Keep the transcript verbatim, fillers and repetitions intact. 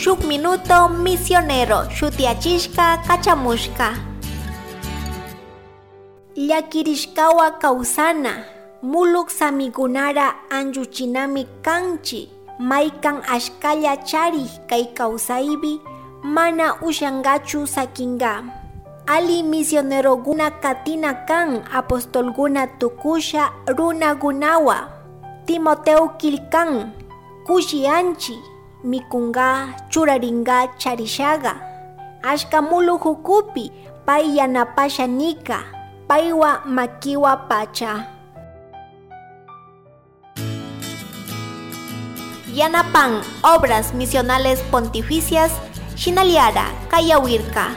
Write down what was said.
Shuk Minuto Misionero shutiachishka kachamushka. Llakirishkawa kawsana muluk samikunara anchuchinami kanchi maykan ashkalla charik kay kawsaypi mana ushankachu sakinka. Ali misionerokuna katina kan apostolkuna tukusha runakunawa. Timoteo killkan kushiyanchi mikunka churarinka charishaga. Ashka muluk ukupi pay yanapasha nika paywa makiwa pacha. Yanapan Obras Misionales Pontificias Shinaliara Kayawirka.